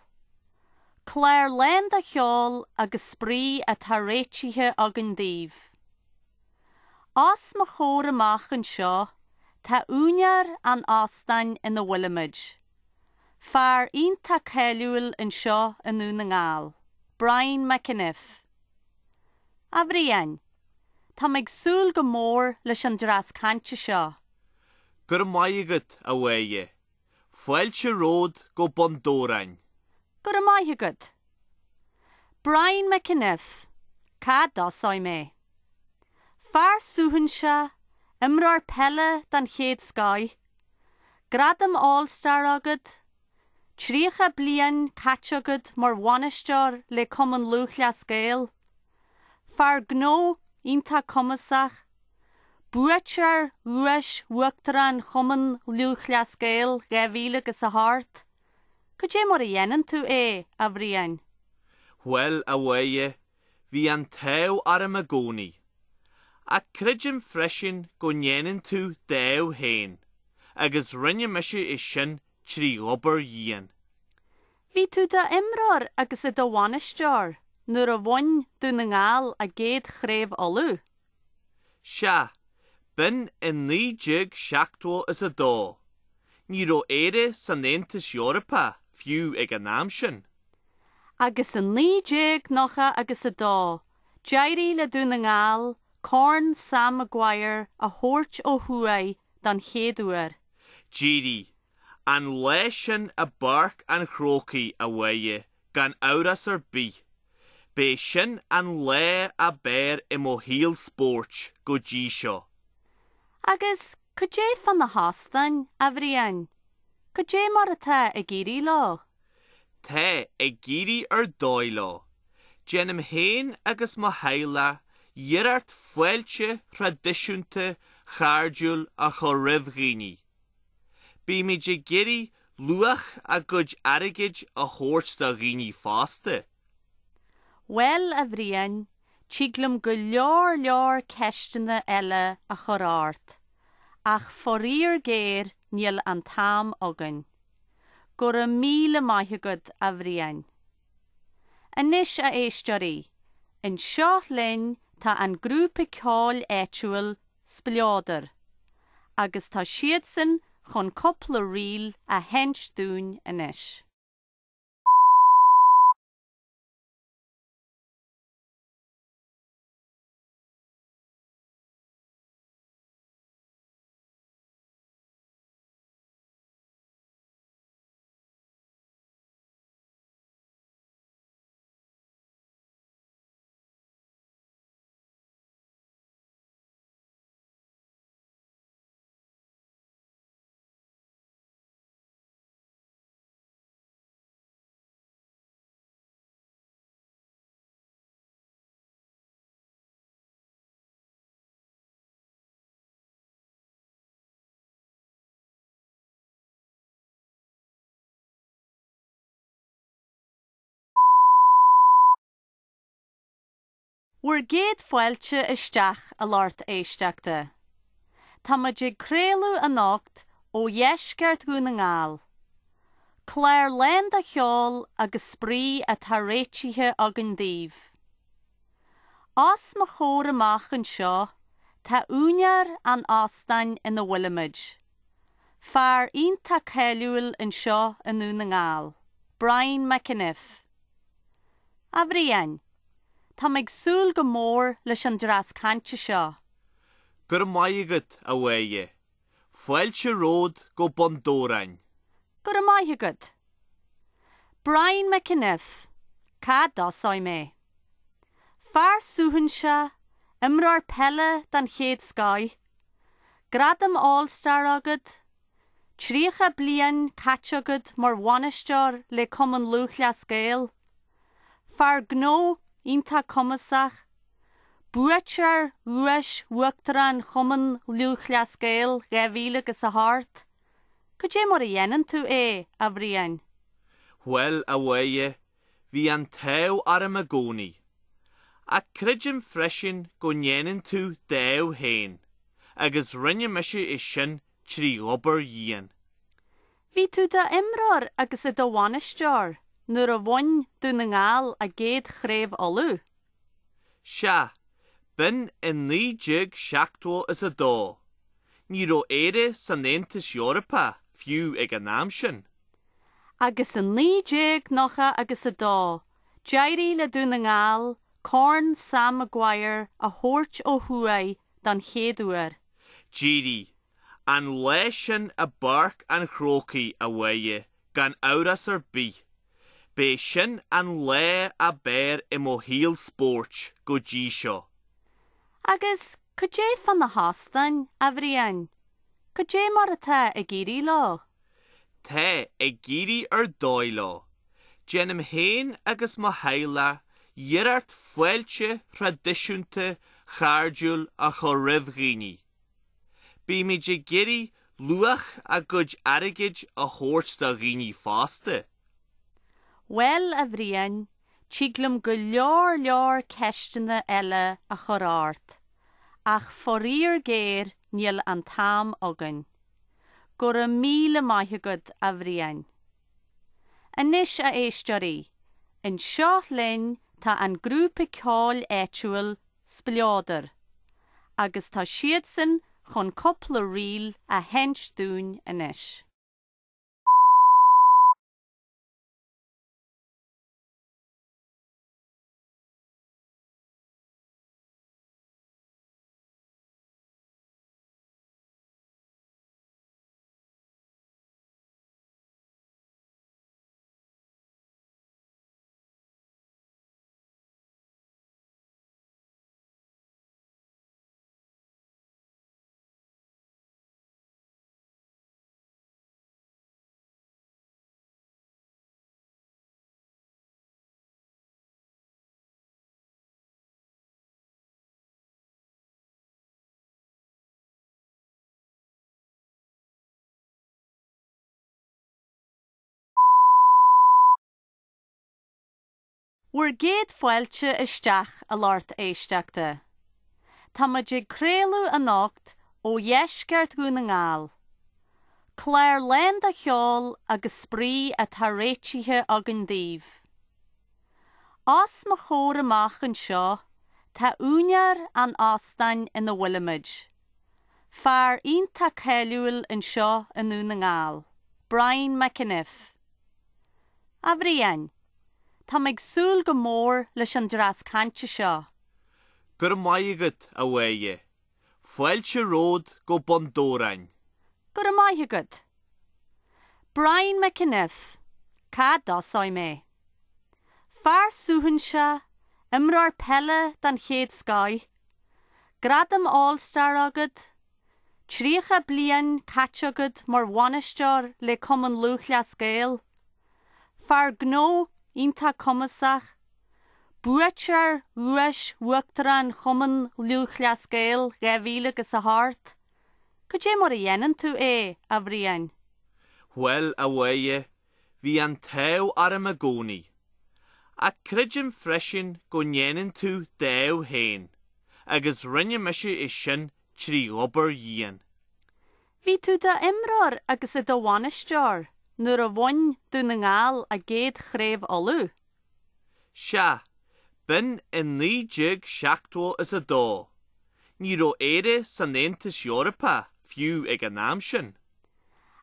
Clár lán de cheol agus spraoi atá réitithe againn daoibh. Os mo chomhair amach anseo tá úinéir an óstáin ina bhfuilimid. Fear iontach cáiliúil anseo i nDún na nGall, Brian McEniff. A Bhriain, táim ag súil go mór leis an dtreas cainte seo. Go raibh maith agat, a Mháire. Fáilte romhat go Bun Dobhráin. Go raibh maith agat. Brian McEniff, cá dtosóidh mé? Fear suaithinseach, imreoir peile den chéad scoith, gradam All Star agat, 30 bliain caite agat mar bhainisteoir le Cumann Lúthchleas Gael, fear gnó iontach cumasach, buaiteoir Dhuais Uachtarán Chumann Lúthchleas Gael 2000 agus 8. Cad é mar a dhéanann tú é, a Bhriain? Bhuel, a Mháire, bhí an t-ádh orm i gcónaí. Ach creidim freisin go ndéanann tú d'ádh féin, agus rinne mise é sin trí obair dhian. Bhí tú i d'imreoir agus i do bhainisteoir nuair a bhain Dún na nGall a gcéad chraobh Uladh. Sea, b'in i 1972. Ní raibh Éire san Aontas Eorpach fiú ag an am sin. Agus i 1990 agus 2, d'éirigh le Dún na nGall Corn Sam Maguire a thabhairt ó thuaidh don chéad uair. D'éirigh. An lá sin i bPáirc an Chrócaigh, a Mháire, gan amhras ar bith. B'é sin an lá ab fhearr i mo shaol spóirt go dtí seo. Agus cad é fá na hóstáin, a Bhriain? Cad é mar atá ag éirí leo? Tá ag éirí ar dóigh leo. Déanaim féin agus mo theaghlach iarracht fáilte thraidisiúnta chairdiúil a chur roimh dhaoine. Bímid ag iarraidh luach a gcuid airgid a thabhairt do dhaoine fosta. Bhuel, a Bhriain, tig liom go leor leor ceisteanna eile a chur ort, ach faraor géar níl an t-am againn. Go raibh míle maith agat, a Bhriain. Anois, a éisteoirí, anseo linn tá an grúpa ceoil áitiúil Spleodar, agus tá siadsan chun cúpla ríl a sheinnt dúinn anois. Bhur gcéad fáilte isteach, a lucht éisteachta. Tá muid ag craoladh anocht ó dheisceart Dhún na nGall. Clár lán de cheol agus spraoi atá réitithe againn daoibh. Os mo chomhair amach anseo tá úinéir an óstáin ina bhfuilimid. Fear iontach cáiliúil anseo i nDún na nGall, Brian McEniff. A Bhriain, táim ag súil go mór leis an dtreas cainte seo. Go raibh maith agat, a Mháire. Fáilte romhat go Bun Dobhráin. Go raibh maith agat. Brian McEniff, cá dtosóidh mé? Fear suaithinseach, imreoir peile den chéad scoith, gradam All Star agat, 30 bliain caite agat mar bhainisteoir le Cumann Lúthchleas Gael, fear gnó iontach cumasach, buaiteoir Dhuais Uachtarán Chumann Lúthchleas Gael 2000 agus 8. Cad é mar a dhéanann tú é, a Bhriain? Bhuel, a Mháire, bhí an t-ádh orm i gcónaí. Ach creidim freisin go ndéanann tú d'ádh féin, agus rinne mise é sin trí obair dhian. Bhí tú i d'imreoir agus i do bhainisteoir nuair a bhain Dún na nGall a gcéad Chraobh Uladh. Sea, b'in i 1972. Ní raibh Éire san Aontas Eorpach fiú ag an am sin. Agus i 1990 agus 2, d'éirigh le Dún na nGall Corn Sam Maguire a thabhairt ó thuaidh don chéad uair. D'éirigh. An lá sin i bPáirc an Chrócaigh, a Mháire, gan amhras ar bith. B'é sin an lá ab fhearr i mo shaol spóirt go dtí seo. Agus cad é fá na hóstáin, a Bhriain? Cad é mar atá ag éirí leo? Tá ag éirí ar dóigh leo. Déanaim féin agus mo theaghlach iarracht fáilte thraidisiúnta chairdiúil a chur roimh dhaoine. Bímid ag iarraidh luach a gcuid airgid a thabhairt do dhaoine fosta. Bhuel, a Bhriain, tig liom go leor leor ceisteanna eile a chur ort, ach faraor géar níl an t-am againn. Go raibh míle maith agat, a Bhriain. Anois, a éisteoirí, anseo linn tá an grúpa ceoil áitiúil Spleodar, agus tá siadsan chun cúpla ríl a sheinnt dúinn anois. Bhur gcéad fáilte isteach, a lucht éisteachta. Tá muid ag craoladh anocht ó dheisceart Dhún na nGall. Clár lán de cheol agus spraoi atá réitithe againn daoibh. Os mo chomhair amach anseo tá úinéir an óstáin ina bhfuilimid. Fear iontach cáiliúil anseo i nDún na nGall, Brian McEniff. A Bhriain, táim ag súil go mór leis an dtreas cainte seo. Go raibh maith agat, a Mháire. Fáilte romhat go Bun Dobhráin. Go raibh maith agat. Brian McEniff, cá dtosóidh mé? Fear suaithinseach, imreoir peile den chéad scoith, gradam All Star agat, 30 bliain caite agat mar bhainisteoir le Cumann Lúthchleas Gael. Fear gnó iontach cumasach. Buaiteoir Dhuais Uachtarán Chumann Lúthchleas Gael 2000 agus 8. Cad é mar a dhéanann tú é, a Bhriain? Bhuel, a Mháire, bhí an t-ádh orm i gcónaí. Ach creidim freisin go ndéanann tú d'ádh féin, agus rinne mise é sin 3 obair dhian. Bhí tú i d'imreoir agus i do bhainisteoir nuair a bhain Dún na nGall a gcéad Chraobh Uladh. Sea, b'in i 1972. Ní raibh Éire san Aontas Eorpach fiú ag an am sin.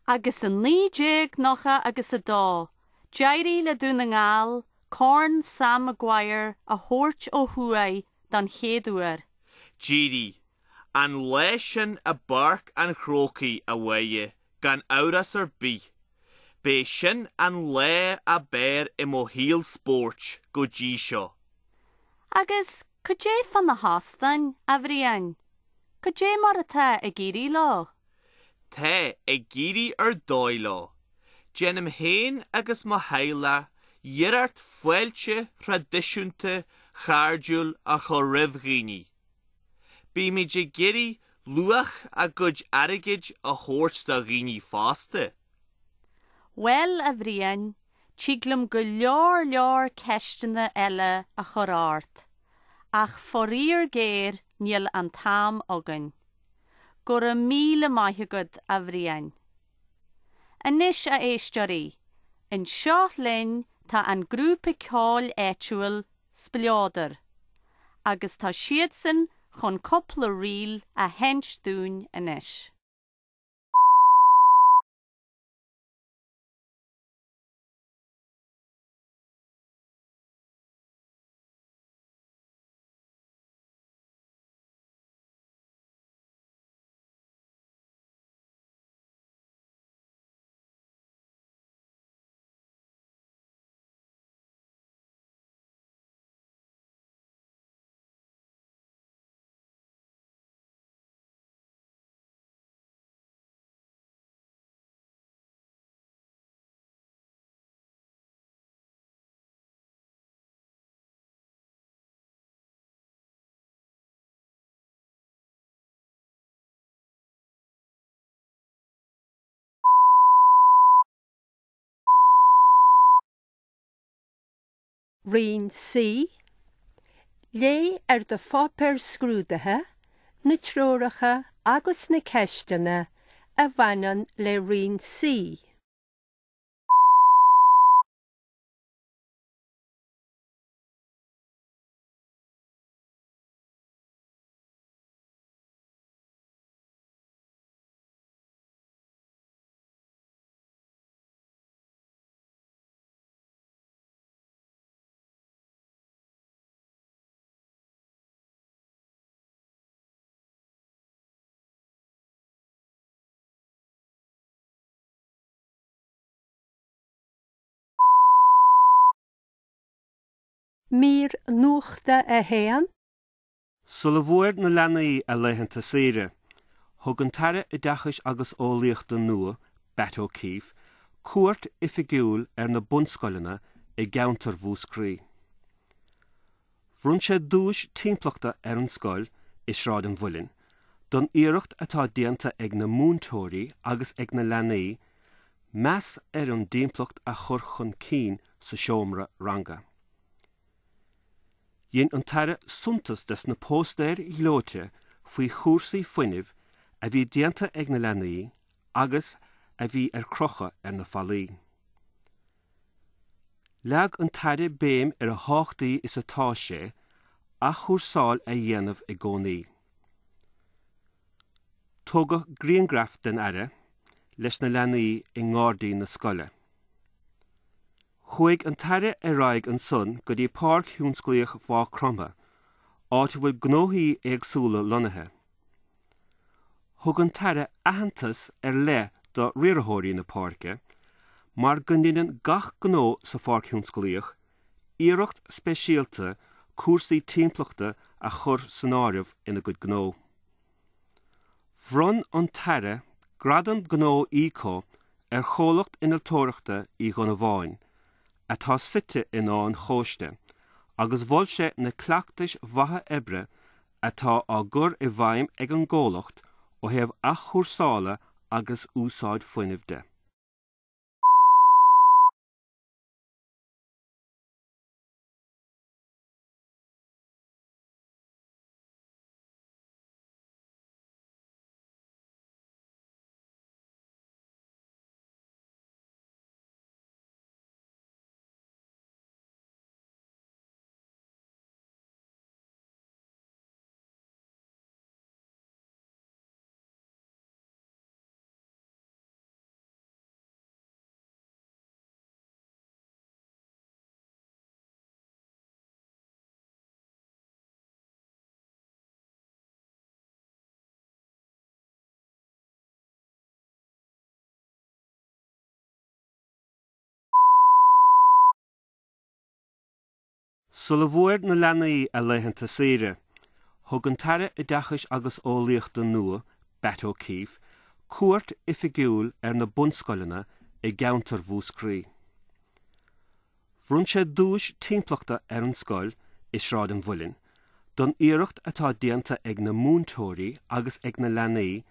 Agus i 1990 agus 2, d'éirigh le Dún na nGall Corn Sam Maguire a thabhairt ó thuaidh don chéad uair. D'éirigh. An lá sin i bPáirc an Chrócaigh, a Mháire, gan amhras ar bith. B'é sin an lá ab fhearr i mo shaol spóirt go dtí seo. Agus cad é fá na hóstáin, a Bhriain? Cad é mar atá ag éirí leo? Tá ag éirí ar dóigh leo. Déanaim féin agus mo theaghlach iarracht fáilte thraidisiúnta chairdiúil a chur roimh dhaoine. Bímid ag iarraidh luach a gcuid airgid a thabhairt do dhaoine fosta. Bhuel, a Bhriain, tig liom go leor leor ceisteanna eile a chur ort, Ach faraor géar níl an t-am againn. Go raibh míle maith agat, a Bhriain. Anois, a éisteoirí, anseo linn tá an grúpa ceoil áitiúil Spleodar, agus tá siadsan chun cúpla ríl a sheinnt dúinn anois. Roinn C, Léigh ar do pháipéar scrúdaithe na treoracha agus na ceisteanna a bhaineann le Roinn C. Mír Nuachta 1. Sula bhfuair na leanaí a laethanta saoire, thug an tAire Oideachais agus Eolaíochta nua, Batt O'Keefe, cuairt oifigiúil ar na bunscoileanna i gceantar Mhúscraí. Bhronn sé duais timpeallachta ar an scoil i Sráid an Mhuilinn don iarracht atá déanta ag na múinteoirí agus ag na leanaí meas ar an dtimpeallacht a chur chun cinn sa seomra ranga. Dhein an tAire suntas des na póstaeir ghleoite faoi chúrsaí fuinnimh a bhí déanta ag na leanaí agus a bhí ar crochadh ar na fallaí. Leag an tAire béim ar a thábhachtaí is atá sé athchúrsáil a dhéanamh i gcónaí. Tógadh grianghraf den Aire leis na leanaí i ngairdín na scoile. Chuaigh an tAire ar aghaidh ansan go dtí Páirc Thionsclaíoch Mhaigh Chromtha, áit a bhfuil gnóthaí éagsúla lonnaithe. Thug an tAire aitheantas ar leith do riarthóirí na páirce mar go ndeineann gach gnó sa Pháirc Thionsclaíoch iarracht speisialta cúrsaí timpeallachta a chur san áireamh ina gcuid gnó. Bhronn an tAire Gradam Gnó Eco ar chomhlacht innealtóireachta Uí Dhonnabháin, atá suite in Áth an Chóiste, agus mhol sé na cleachtais mhaithe oibre atá á gcur i bhfeidhm ag an gcomhlacht ó thaobh athchúrsála agus úsáid fuinnimh de. Sula bhfuair na leanaí a laethanta saoire, thug an tAire Oideachais agus Eolaíochta nua, Batt O'Keefe, cuairt oifigiúil ar na bunscoileanna i gceantar Mhúscraí. Bhronn sé duais timpeallachta ar an scoil i Sráid an Mhuilinn don iarracht atá déanta ag na múinteoirí agus ag na leanaí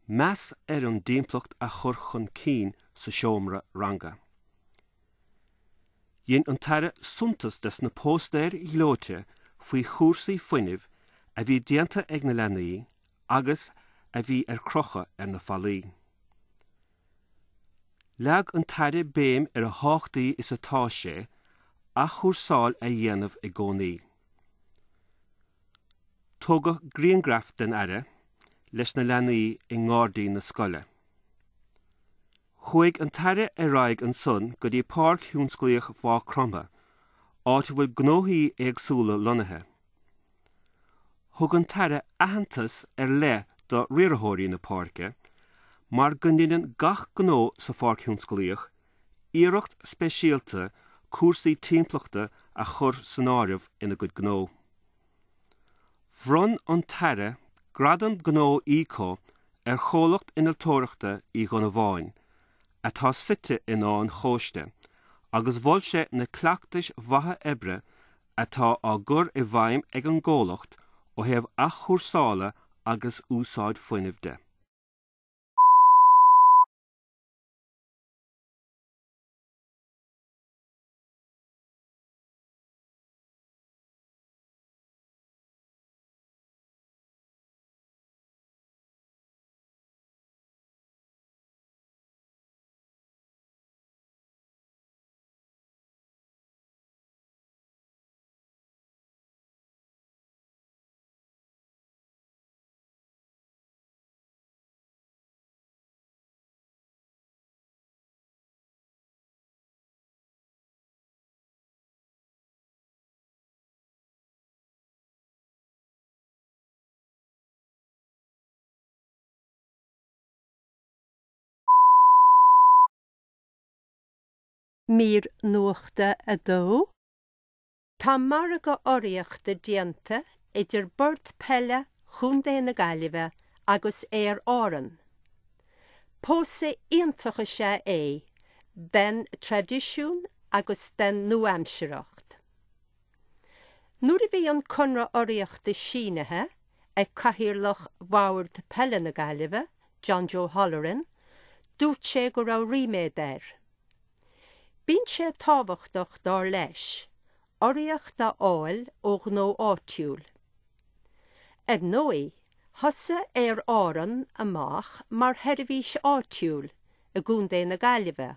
meas ar an dtimpeallacht a chur chun cinn sa seomra ranga. Dhein an tAire suntas des na póstaeir ghleoite faoi chúrsaí fuinnimh a bhí déanta ag na leanaí agus a bhí ar crochadh ar na fallaí. Leag an tAire béim ar a thábhachtaí is atá sé athchúrsáil a dhéanamh i gcónaí. Tógadh grianghraf den Aire leis na leanaí i ngairdín na scoile. Chuaigh an tAire ar aghaidh ansan go dtí Páirc Thionsclaíoch Mhaigh Chromtha, áit a bhfuil gnóthaí éagsúla lonnaithe. Thug an tAire aitheantas ar leith do riarthóirí na páirce mar go ndeineann gach gnó sa Pháirc Thionsclaíoch iarracht speisialta cúrsaí timpeallachta a chur san áireamh ina gcuid gnó. Bhronn an tAire Gradam Gnó Eco ar chomhlacht innealtóireachta Uí Dhonnabháin, atá suite in Áth an Chóiste, agus mhol sé na cleachtais mhaithe oibre atá á gcur i bhfeidhm ag an gcomhlacht ó thaobh athchúrsála agus úsáid fuinnimh de. Mír Nuachta 2. Tá margadh urraíochta déanta idir Bord Peile Chontae na Gaillimhe agus Aer Árann. Pósadh iontach is ea é den traidisiún agus den nua-aimsearthacht. Nuair a bhí an conradh urraíochta sínithe ag Cathaoirleach Bhord Peile na Gaillimhe, John Joe Holleran, dúirt sé go raibh ríméad air. Bíonn sé tábhachtach, dar leis, urraíocht a fháil ó ghnó áitiúil. Ar ndóigh, thosaigh Aer Árann amach mar sheirbhís áitiúil i gContae na Gaillimhe,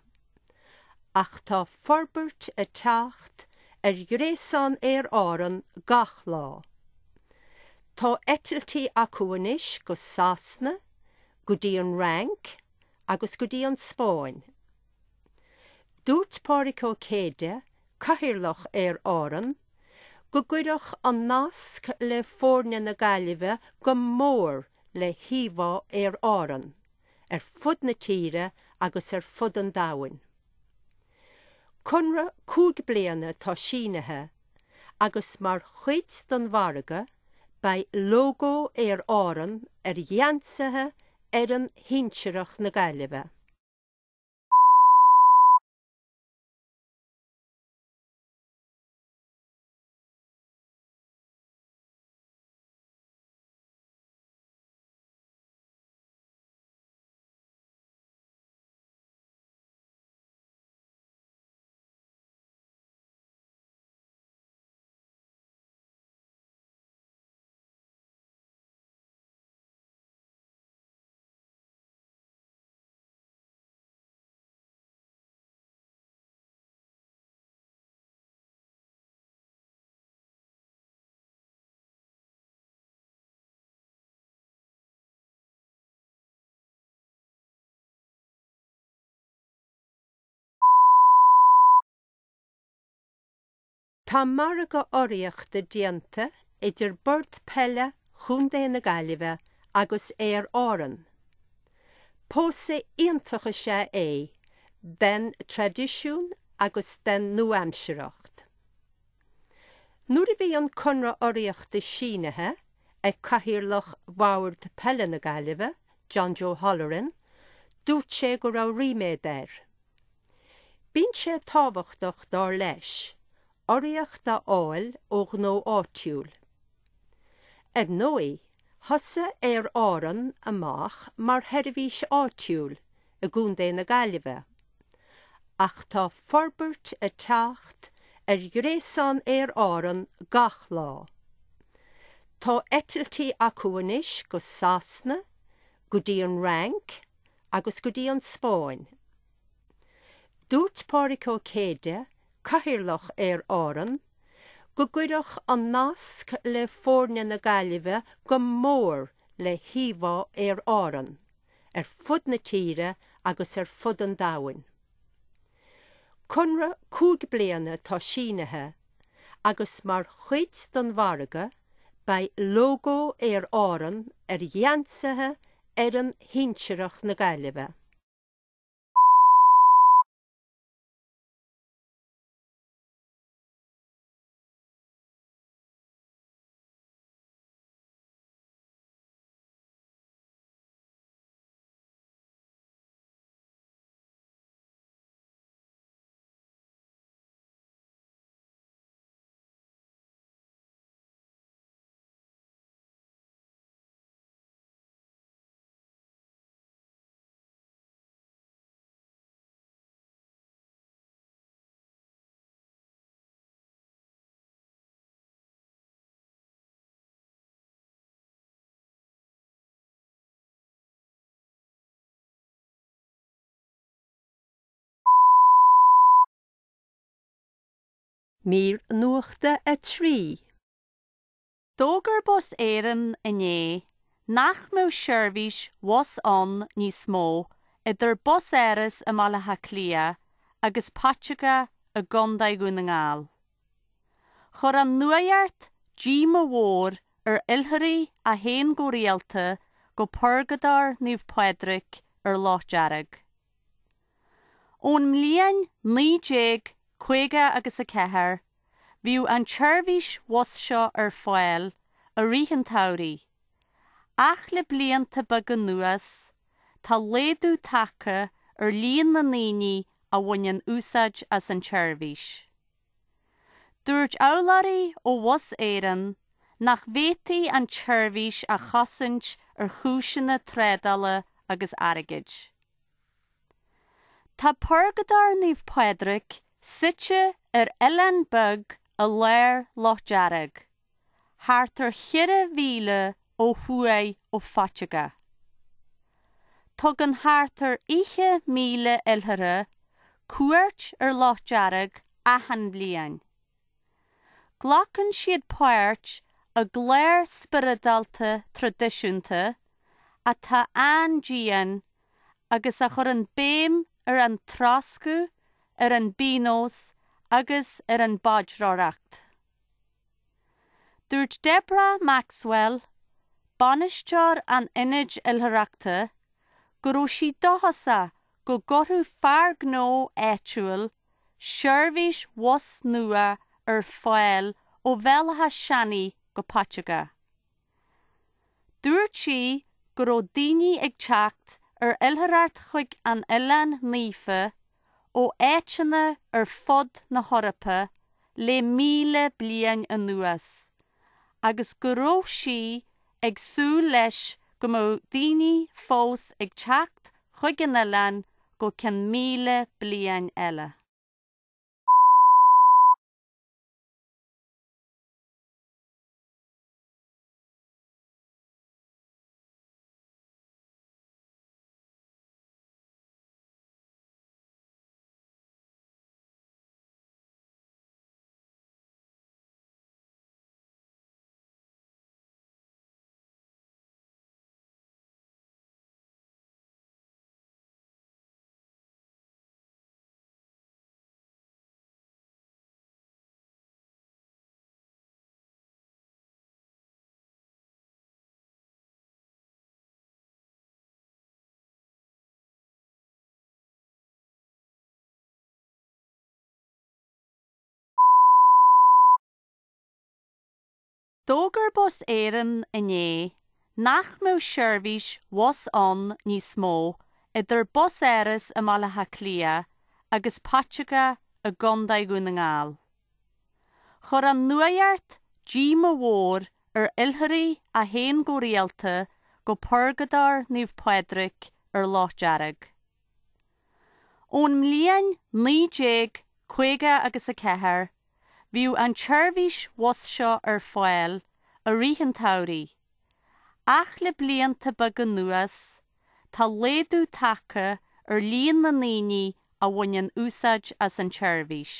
ach tá forbairt ag teacht ar ghréasán Aer Árann gach lá. Tá eitiltí acu anois go Sasana, go dtí an Fhrainc agus go dtí an Spáinn. Dúirt Pádraig Ó Céide, Cathaoirleach Aer Árann, go gcuirfeadh an nasc le foirne na Gaillimhe go mór le híomhá Aer Árann. ar fud na tíre agus ar fud an domhain. Conradh 5 bliana atá sínithe agus mar chuid den mhargadh beidh lógó Aer Árann ar gheansaithe fhoireann shinsearach na Gaillimhe. Tá margadh urraíochta déanta idir Bord Peile Chontae na Gaillimhe agus Aer Árann. Pósadh iontach is ea é den traidisiún agus den nua-aimsearthacht. Nuair a bhí an conradh urraíochta sínithe ag Cathaoirleach Bhord Peile na Gaillimhe, John Joe Holleran, dúirt sé go raibh ríméad air. Bíonn sé tábhachtach, dar leis, urraíocht a fháil ó ghnó áitiúil. Ar ndóigh, thosaigh Aer Árann amach mar sheirbhís áitiúil i gContae na Gaillimhe, ach tá forbairt ag teacht ar ghréasán Aer Árann gach lá. Tá eitiltí acu anois go Sasana, go dtí an Fhrainc agus go dtí an Spáinn. Dúirt Pádraig Ó Céide, Cathaoirleach Aer Árann, go gcuirfeadh an nasc le foirne na Gaillimhe go mór le híomhá Aer Árann ar fud na tíre agus ar fud an domhain. Conradh 5 bliana atá sínithe agus mar chuid den mhargadh beidh lógó Aer Árann ar gheansaithe fhoireann shinsearach na Gaillimhe. Mír Nuachta 3. D'fhógair Bus Éireann inné nach mbeadh seirbhís bhus ann níos mó idir Bus Áras i mBaile Átha Cliath agus Paiteagó i gContae Dhún na nGall. Chuir an nuacht díomá mhór ar oilithrigh a théann go rialta go Purgadóir Naomh Pádraig ar Loch Dearg. Ón mbliain 1950 agus 4, bhíodh an tseirbhís bhus seo ar fáil i rith an tsamhraidh, ach le blianta beaga anuas, tá laghdú tagtha ar líon na ndaoine a bhaineann úsáid as an tseirbhís. Dúirt urlabhraí ó Bhus Éireann nach bhféadfaí an tseirbhís a chosaint ar chúiseanna trádála agus airgid. Tá Purgadóir Naomh Pádraig suite ar oileán beag i lár Loch Dearg, thart ar cheithre mhíle ó thuaidh ó Phaiteagó. Tugann thart ar 20,000 oilithreach cuairt ar Loch Dearg achan bhliain. Glacann siad páirt i gclár spioradálta traidisiúnta atá an-dian agus a chuireann béim ar an troscadh, ar an bpionós agus ar an bpaidreoireacht. Dúirt Deborah Maxwell, bainisteoir an Ionaid Oilithreachta, go raibh sí dóchasach go gcuirfeadh fear gnó áitiúil seirbhís bhus nua ar fáil ó Bhéal Átha Seanaidh go Paiteagó. Dúirt sí go raibh daoine ag teacht ar oilithreacht chuig an oileán naofa ó áiteanna ar fud na hEorpa le 1,000 bliain anuas agus go raibh sí ag súil leis go mbeadh daoine fós ag teacht chuig an oileán go ceann 1,000 bliain eile. D'fhógair Bus Éireann inné nach mbeadh seirbhís bhus ann níos mó idir Bus Áras i mBaile Átha Cliath agus Paiteagó i gContae Dhún na nGall. Chuir an nuacht díomá mhór ar oilithrigh a théann go rialta go Purgadóir Naomh Pádraig ar Loch Dearg. Ón mbliain 1950 agus 4, bhíodh an tseirbhís bhus seo ar fáil i rith an tsamhraidh, ach le blianta beaga anuas, tá laghdú tagtha ar líon na ndaoine a bhaineann úsáid as an tseirbhís.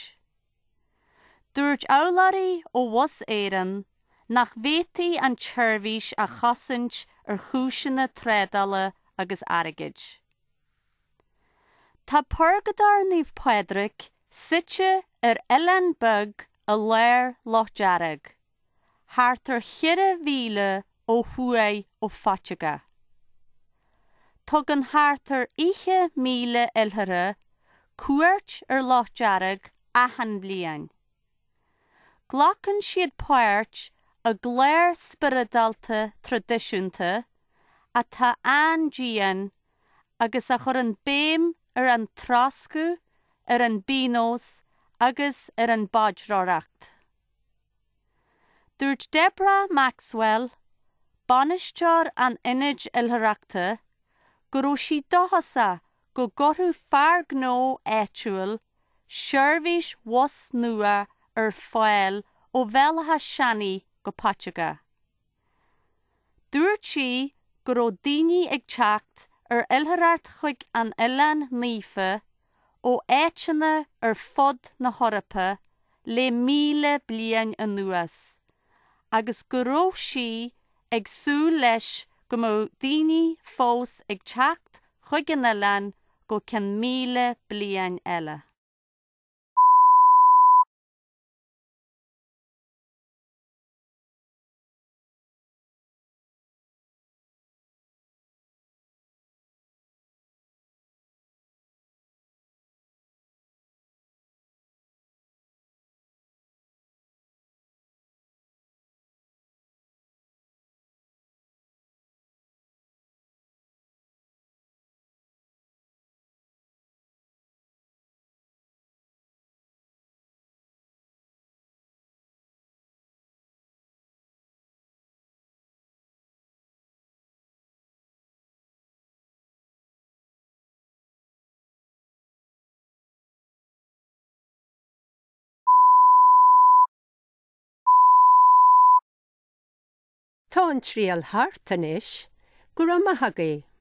Dúirt urlabhraí ó Bhus Éireann nach bhféadfaí an tseirbhís a chosaint ar chúiseanna trádála agus airgid. Tá Purgadóir Naomh Pádraig suite ar oileán beag i lár Loch Dearg, thart ar cheithre mhíle ó thuaidh ó Phaiteagá. Tugann thart ar 20,000 oilithreach cuairt ar Loch Dearg achan bhliain. Glacann siad páirt i gclár spioradálta traidisiúnta atá an-dian agus a chuireann béim ar an troscadh, ar an bpionós agus ar an bpaidreoireacht. Dúirt Deborah Maxwell, bainisteoir an Ionaid Oilithreachta, go raibh sí dóchasach go gcuirfeadh fear gnó áitiúil seirbhís bhus nua ar fáil ó Bhéal Átha Seanaidh go Paiteagó. Dúirt sí go raibh daoine ag teacht ar oilithreacht chuig an oileán naofa ó áiteanna ar fud na hEorpa le 1,000 bliain anuas agus go raibh sí ag súil leis go mbeadh daoine fós ag teacht chuig an oileán go ceann 1,000 bliain eile. Tá an triail thart anois. Go raibh maith agaibh.